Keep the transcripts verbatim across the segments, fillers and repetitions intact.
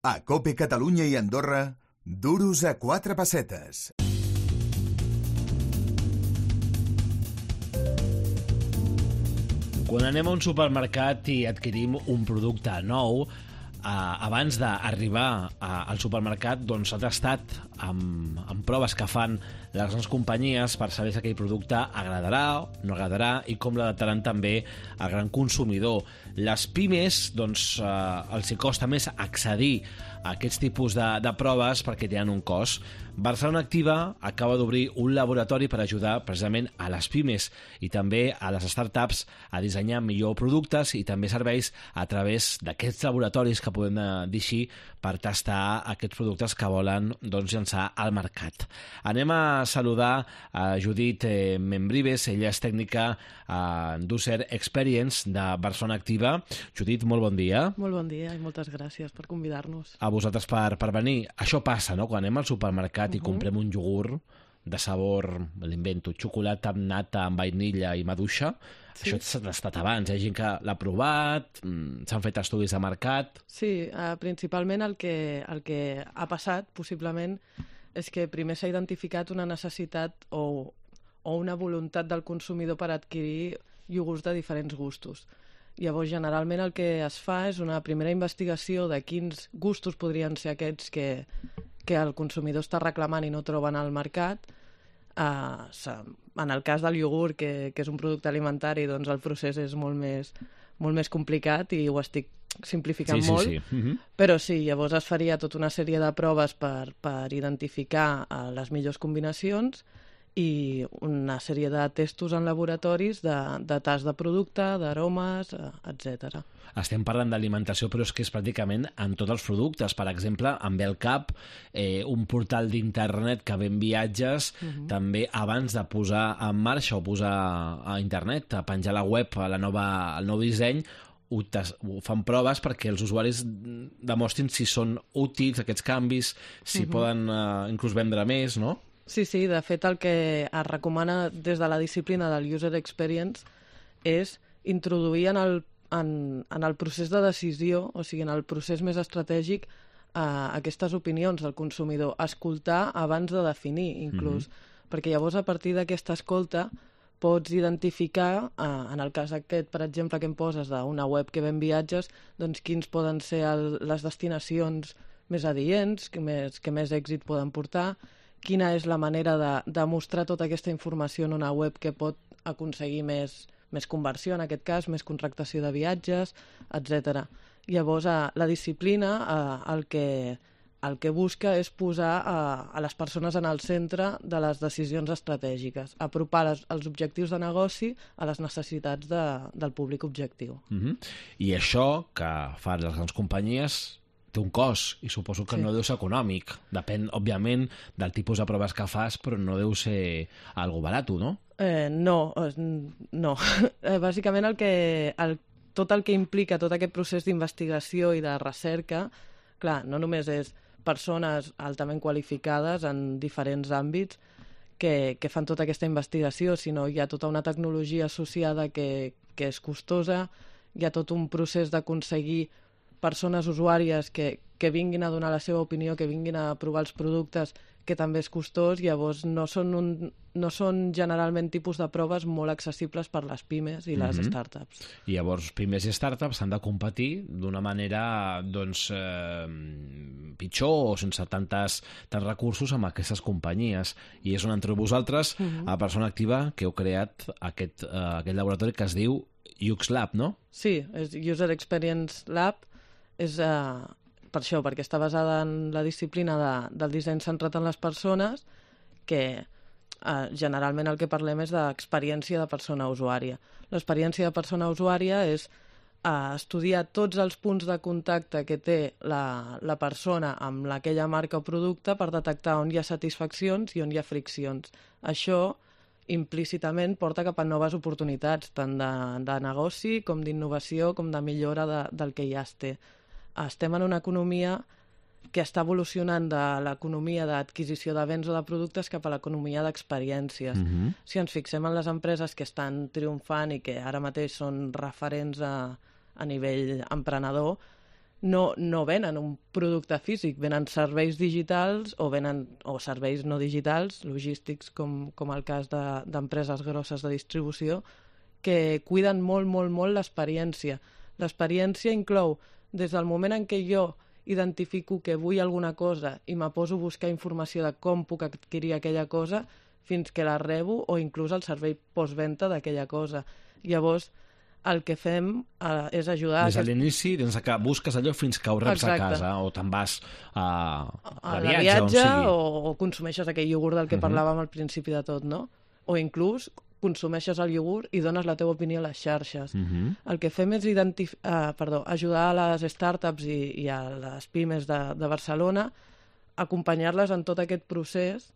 A COPE Catalunya i Andorra, duros a quatre pessetes. Quan anem a un supermercat i adquirim un producte nou, eh, abans d'arribar al supermercat doncs s'ha tastat amb, amb proves que fan les grans companyies per saber si aquell producte agradarà, no agradarà i com l'adaptaran també al gran consumidor. Les pimes, doncs, eh, els hi costa més accedir a aquests tipus de, de proves perquè tenen un cost. Barcelona Activa acaba d'obrir un laboratori per ajudar precisament a les pimes i també a les startups a dissenyar millor productes i també serveis a través d'aquests laboratoris que podem dir així per tastar aquests productes que volen doncs, llançar al mercat. Anem a saludar a Judit eh, Membrives, ella és tècnica a User Experience de Barcelona Activa. Judit, molt bon dia. Molt bon dia i moltes gràcies per convidar-nos. A vosaltres per, per venir. Això passa, no?, quan anem al supermercat uh-huh. i comprem un iogurt de sabor, l'invento, xocolata amb nata, amb vainilla i maduixa. Sí. Això s'ha tastat abans, hi ha gent que l'ha provat, s'han fet estudis de mercat... Sí, eh, principalment el que, el que ha passat, possiblement, és que primer s'ha identificat una necessitat o, o una voluntat del consumidor per adquirir iogurts de diferents gustos. Llavors, generalment el que es fa és una primera investigació de quins gustos podrien ser aquests que, que el consumidor està reclamant i no troben al mercat. Uh, en el cas del iogurt, que, que és un producte alimentari, doncs el procés és molt més, molt més complicat i ho estic simplificant sí, sí, molt, sí. Uh-huh. Però sí, llavors es faria tota una sèrie de proves per, per identificar uh, les millors combinacions i una sèrie de testos en laboratoris de, de tast de producte, d'aromes, etcètera. Estem parlant d'alimentació, però és que és pràcticament en tots els productes. Per exemple, amb el cap, eh, un portal d'internet que ven viatges, uh-huh. també abans de posar en marxa o posar a internet, a penjar a la web a la nova, el nou disseny, ho, tas, ho fan proves perquè els usuaris demostrin si són útils aquests canvis, si uh-huh. poden eh, inclús vendre més, no? Sí, sí, de fet el que es recomana des de la disciplina del User Experience és introduir en el, en, en el procés de decisió, o sigui, en el procés més estratègic, eh, aquestes opinions del consumidor, escoltar abans de definir, inclús, mm-hmm. perquè llavors a partir d'aquesta escolta pots identificar, eh, en el cas aquest, per exemple, que em poses d'una web que ven viatges, doncs quins poden ser el, les destinacions més adients, que més, que més èxit poden portar, quina és la manera de, de mostrar tota aquesta informació en una web que pot aconseguir més, més conversió, en aquest cas, més contractació de viatges, etcètera. Llavors, a, la disciplina a, el, que, el que busca és posar a, a les persones en el centre de les decisions estratègiques, apropar les, els objectius de negoci a les necessitats de, del públic objectiu. Uh-huh. I això que fan les grans companyies té un cost, i suposo que sí. no deu ser econòmic. Depèn, òbviament, del tipus de proves que fas, però no deu ser algo barat, no? Eh, no, no. Eh, bàsicament, el que, el, tot el que implica tot aquest procés d'investigació i de recerca, clar, no només és persones altament qualificades en diferents àmbits que, que fan tota aquesta investigació, sinó hi ha tota una tecnologia associada que, que és costosa, hi ha tot un procés d'aconseguir persones usuàries que, que vinguin a donar la seva opinió, que vinguin a provar els productes, que també és costós, llavors no són, un, no són generalment tipus de proves molt accessibles per les pimes i les mm-hmm. startups. I llavors pimes i startups han de competir d'una manera doncs, eh, pitjor o sense tantes, tants recursos amb aquestes companyies. I és on entreu vosaltres, mm-hmm. a Barcelona Activa, que heu creat aquest, eh, aquest laboratori que es diu U X Lab, no? Sí, és User Experience Lab. És uh, per això, perquè està basada en la disciplina de, del disseny centrat en les persones, que uh, generalment el que parlem és d'experiència de persona usuària. L'experiència de persona usuària és uh, estudiar tots els punts de contacte que té la, la persona amb aquella marca o producte per detectar on hi ha satisfaccions i on hi ha friccions. Això implícitament porta cap a noves oportunitats, tant de, de negoci com d'innovació, com de millora de, del que ja es té. Estem en una economia que està evolucionant de l'economia d'adquisició de béns o de productes cap a l'economia d'experiències. Mm-hmm. Si ens fixem en les empreses que estan triomfant i que ara mateix són referents a, a nivell emprenedor, no, no venen un producte físic, venen serveis digitals o venen o serveis no digitals, logístics, com, com el cas de- d'empreses grosses de distribució, que cuiden molt, molt, molt l'experiència. L'experiència inclou des del moment en què jo identifico que vull alguna cosa i me poso a buscar informació de com puc adquirir aquella cosa fins que la rebo o inclús el servei postventa d'aquella cosa. Llavors, el que fem eh, és ajudar... Des de l'inici, des que busques allò fins que ho reps Exacte. a casa, o te'n vas a, a a la viatge, viatge on sigui. o, o consumeixes aquell iogurt del que Mhm. parlàvem al principi de tot, no? O inclús consumeixes el iogurt i dones la teva opinió a les xarxes. Mhm. El que fem és identif uh, perdó, ajudar a les startups i, i a les pimes de, de Barcelona, acompanyar-les en tot aquest procés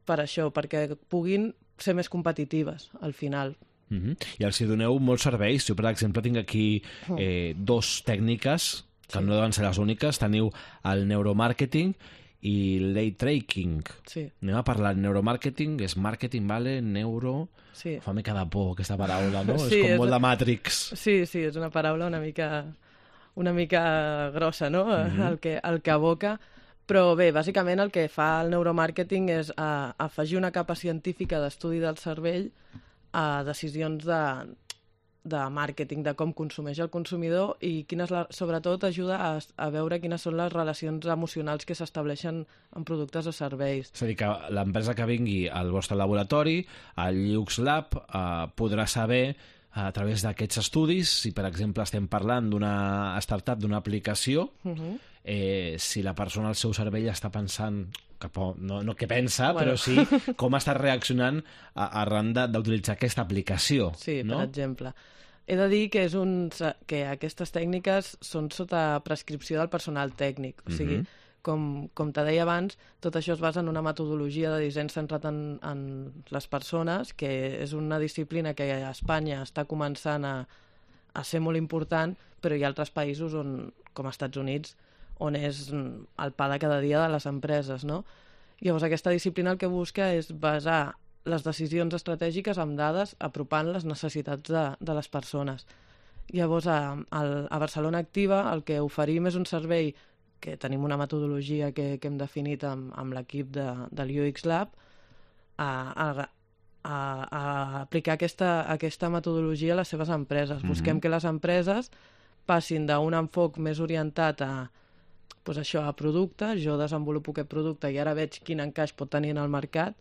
per això, perquè puguin ser més competitives al final. Mhm. I els hi doneu molts serveis. Jo, per exemple, tinc aquí eh, dos tècniques, que Sí. no deuen ser les úniques. Teniu el neuromàrqueting i l'day tracking. Sí, Anem a parlar de neuromàrqueting, és marketing, vale, neuro... sí. Fa mica de por aquesta paraula, no? Sí, és com és- molt de Matrix. Sí, sí, és una paraula una mica, una mica grossa, no?, Mhm. el, que, el que aboca. Però bé, bàsicament el que fa el neuromàrqueting és a, afegir una capa científica d'estudi del cervell a decisions de, de màrqueting, de com consumeix el consumidor i quines la, sobretot ajuda a, a veure quines són les relacions emocionals que s'estableixen en productes o serveis. És a dir, que l'empresa que vingui al vostre laboratori, al Lux Lab, eh, podrà saber a través d'aquests estudis, si per exemple estem parlant d'una startup, d'una aplicació, Uh -huh. eh, si la persona al seu cervell està pensant, cap a, no, no què pensa, Bueno. però sí com està reaccionant a, arran de- d'utilitzar aquesta aplicació. Sí, no? per exemple. He de dir que, és un, que aquestes tècniques són sota prescripció del personal tècnic. O sigui, Mhm. com, com te deia abans, tot això es basa en una metodologia de disseny centrat en, en les persones, que és una disciplina que a Espanya està començant a, a ser molt important, però hi ha altres països, on, com als Estats Units, on és el pa de cada dia de les empreses, no? Llavors, aquesta disciplina el que busca és basar les decisions estratègiques amb dades, apropant les necessitats de, de les persones. Llavors, a, a, a Barcelona Activa el que oferim és un servei que tenim una metodologia que, que hem definit amb, amb l'equip de, del U X Lab, a, a, a, a aplicar aquesta, aquesta metodologia a les seves empreses. Mhm. Busquem que les empreses passin d'un enfoc més orientat a, pues això, a producte, jo desenvolupo aquest producte i ara veig quin encaix pot tenir en el mercat,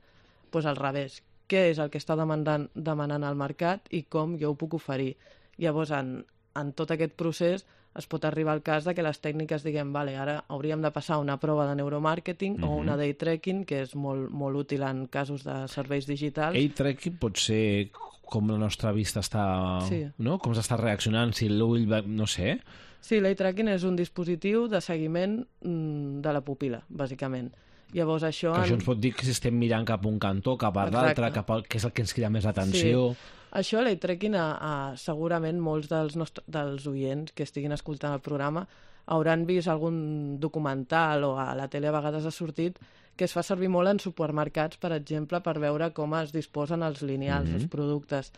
pues al revés, què és el que està demandant, demanant al mercat i com jo ho puc oferir. Llavors, en, en tot aquest procés es pot arribar al cas de que les tècniques diguem, vale, ara hauríem de passar una prova de neuromàrqueting o Mhm. una day tracking, que és molt, molt útil en casos de serveis digitals. Ell tracking pot ser com la nostra vista està... Sí. No? Com s'està reaccionant, si l'ull... va- No sé. Sí, l'eye tracking és un dispositiu de seguiment mm, de la pupil·la, bàsicament. Llavors això... Que això en- ens pot dir que si estem mirant cap a un cantó, cap a Exacte. l'altre, cap al... que és el que ens crida més l'atenció. Això, l'eye tracking, a, a, segurament molts dels, nostres, dels oients que estiguin escoltant el programa hauran vist algun documental o a la tele a vegades ha sortit que es fa servir molt en supermercats, per exemple, per veure com es disposen els lineals, Mhm. els productes.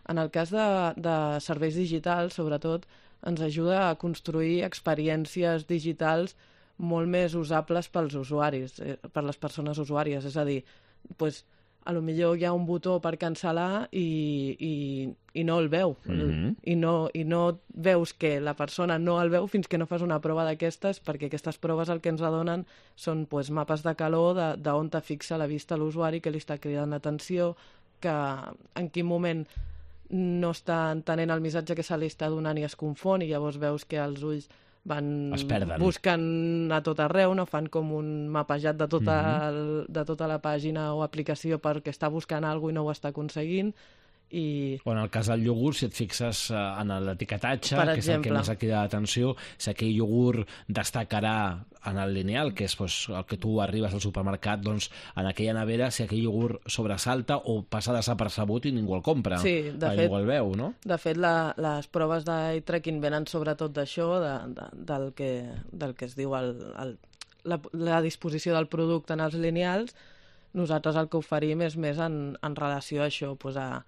En el cas de, de serveis digitals, sobretot, ens ajuda a construir experiències digitals molt més usables pels usuaris, eh, per les persones usuàries. És a dir, pues, a lo millor hi ha un botó per cancel·lar i, i, i no el veu. Mhm. I, no, I no veus que la persona no el veu fins que no fas una prova d'aquestes, perquè aquestes proves el que ens adonen són pues, mapes de calor de, de on te fixa la vista a l'usuari, que li està cridant l'atenció, que en quin moment no està entenent el missatge que se li està donant i es confon, i llavors veus que els ulls van Es perden. buscant a tot arreu, no? Fan com un mapejat de tota, Mhm. el, de tota la pàgina o aplicació perquè està buscant alguna cosa i no ho està aconseguint, i O en el cas del iogurt, si et fixes eh, en l'etiquetatge, Per que és el que exemple. més et crida l'atenció, si aquell iogurt destacarà en el lineal, que és pues, el que tu arribes al supermercat, doncs en aquella nevera, si aquell iogurt sobresalta o passa desapercebut i ningú el compra. Sí, de eh, fet- ningú el veu, no? de fet la, les proves d'eye tracking venen sobretot d'això, de, de, del, que, del que es diu el, el, la, la disposició del producte en els lineals. Nosaltres el que oferim és més en, en relació a això, pues a,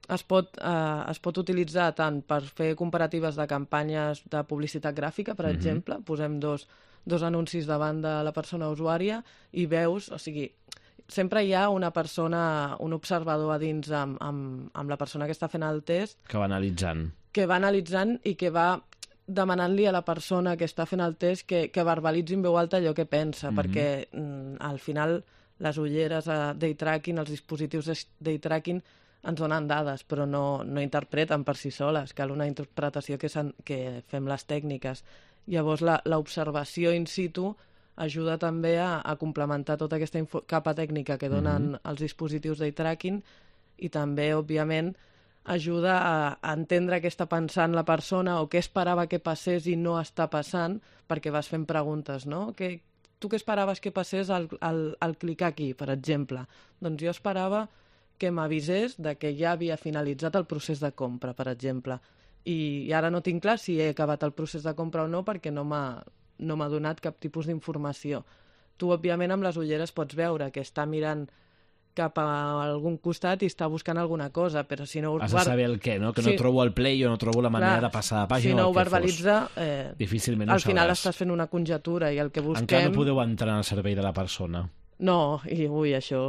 es pot, eh, es pot utilitzar tant per fer comparatives de campanyes de publicitat gràfica, per mm-hmm. exemple, posem dos, dos anuncis davant de la persona usuària i veus, o sigui, sempre hi ha una persona, un observador a dins amb, amb, amb la persona que està fent el test. Que va analitzant. Que va analitzant i que va demanant-li a la persona que està fent el test que, que verbalitzi en veu alta allò que pensa, mm-hmm. perquè mm, al final les ulleres a day tracking, els dispositius de day tracking ens donen dades, però no, no interpreten per si soles. Cal una interpretació que, que fem les tècniques. Llavors, l'observació in situ ajuda també a, a complementar tota aquesta info, capa tècnica que donen mm-hmm. els dispositius day tracking i també, òbviament, ajuda a, a entendre què està pensant la persona o què esperava que passés i no està passant, perquè vas fent preguntes, no? Que, tu què esperaves que passés al, al, al clicar aquí, per exemple? Doncs jo esperava que m'avisés de que ja havia finalitzat el procés de compra, per exemple. I, i ara no tinc clar si he acabat el procés de compra o no perquè no m'ha no m'ha donat cap tipus d'informació. Tu, òbviament, amb les ulleres pots veure que està mirant cap a algun costat i està buscant alguna cosa, però si no... Has de saber el què, no? Que no sí. trobo el play o no trobo la manera clar, de passar de pàgina. Si no ho verbalitza, eh, difícilment ho al final sabràs. Estàs fent una conjectura i el que busquem... Encara no podeu entrar en el servei de la persona. No, i ui, això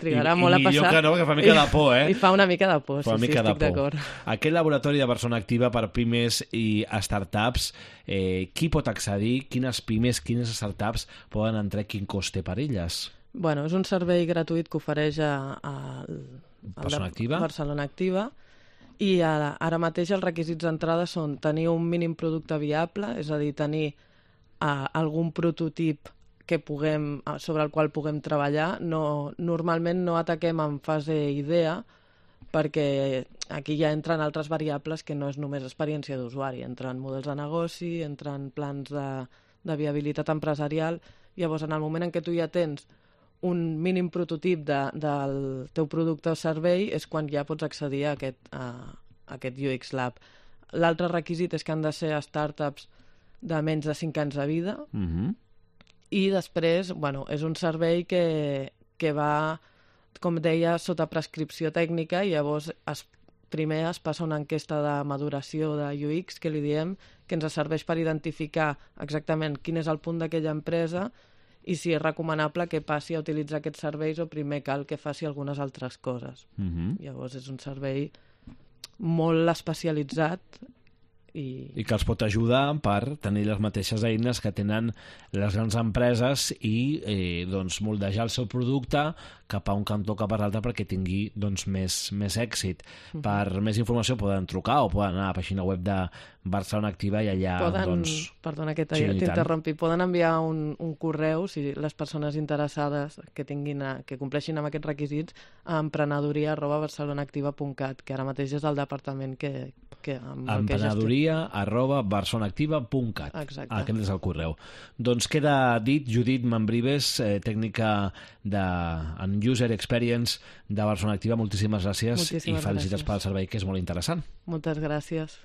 trigarà I, molt i a passar. I jo que no, que fa mica de por, eh? I fa una mica de por, fa sí, sí, estic d'acord. Aquest laboratori de persona activa per pimes i startups, eh, qui pot accedir? Quines pimes, quines startups poden entrar? Quin cost té per elles? Bueno, és un servei gratuït que ofereix a, a, a Persona Activa. Barcelona Activa i ara, ara mateix els requisits d'entrada són tenir un mínim producte viable, és a dir, tenir uh, algun prototip que puguem, sobre el qual puguem treballar. No, normalment no ataquem en fase idea perquè aquí ja entren altres variables que no és només experiència d'usuari, entren models de negoci, entren plans de, de viabilitat empresarial. Llavors, en el moment en què tu ja tens un mínim prototip de, del teu producte o servei és quan ja pots accedir a aquest, a, a aquest U X Lab. L'altre requisit és que han de ser startups de menys de cinc anys de vida mm-hmm. i després, bueno, és un servei que, que va, com deia, sota prescripció tècnica i llavors es, primer es passa una enquesta de maduració de U X, que li diem, que ens serveix per identificar exactament quin és el punt d'aquella empresa i si és recomanable que passi a utilitzar aquests serveis o primer cal que faci algunes altres coses. Mm-hmm. Llavors és un servei molt especialitzat i... I que els pot ajudar per tenir les mateixes eines que tenen les grans empreses i eh, doncs, moldejar el seu producte cap a un cantó cap a l'altre perquè tingui doncs, més, més èxit. Mm-hmm. Per més informació poden trucar o poden anar a la pàgina web de Barcelona Activa i allà... Poden, doncs, perdona que sí, t'interrompi, poden enviar un, un correu, si les persones interessades que, tinguin a, que compleixin amb aquests requisits, a emprenedoria arroba barcelonaactiva punt cat, que ara mateix és el departament que... que amb emprenedoria arroba barcelonaactiva punt cat. Exacte. Aquest és el correu. Doncs queda dit, Judit Mambrives, eh, tècnica de, en User Experience de Barcelona Activa. Moltíssimes gràcies Moltíssimes i felicitats gràcies. pel servei, que és molt interessant. Moltes gràcies.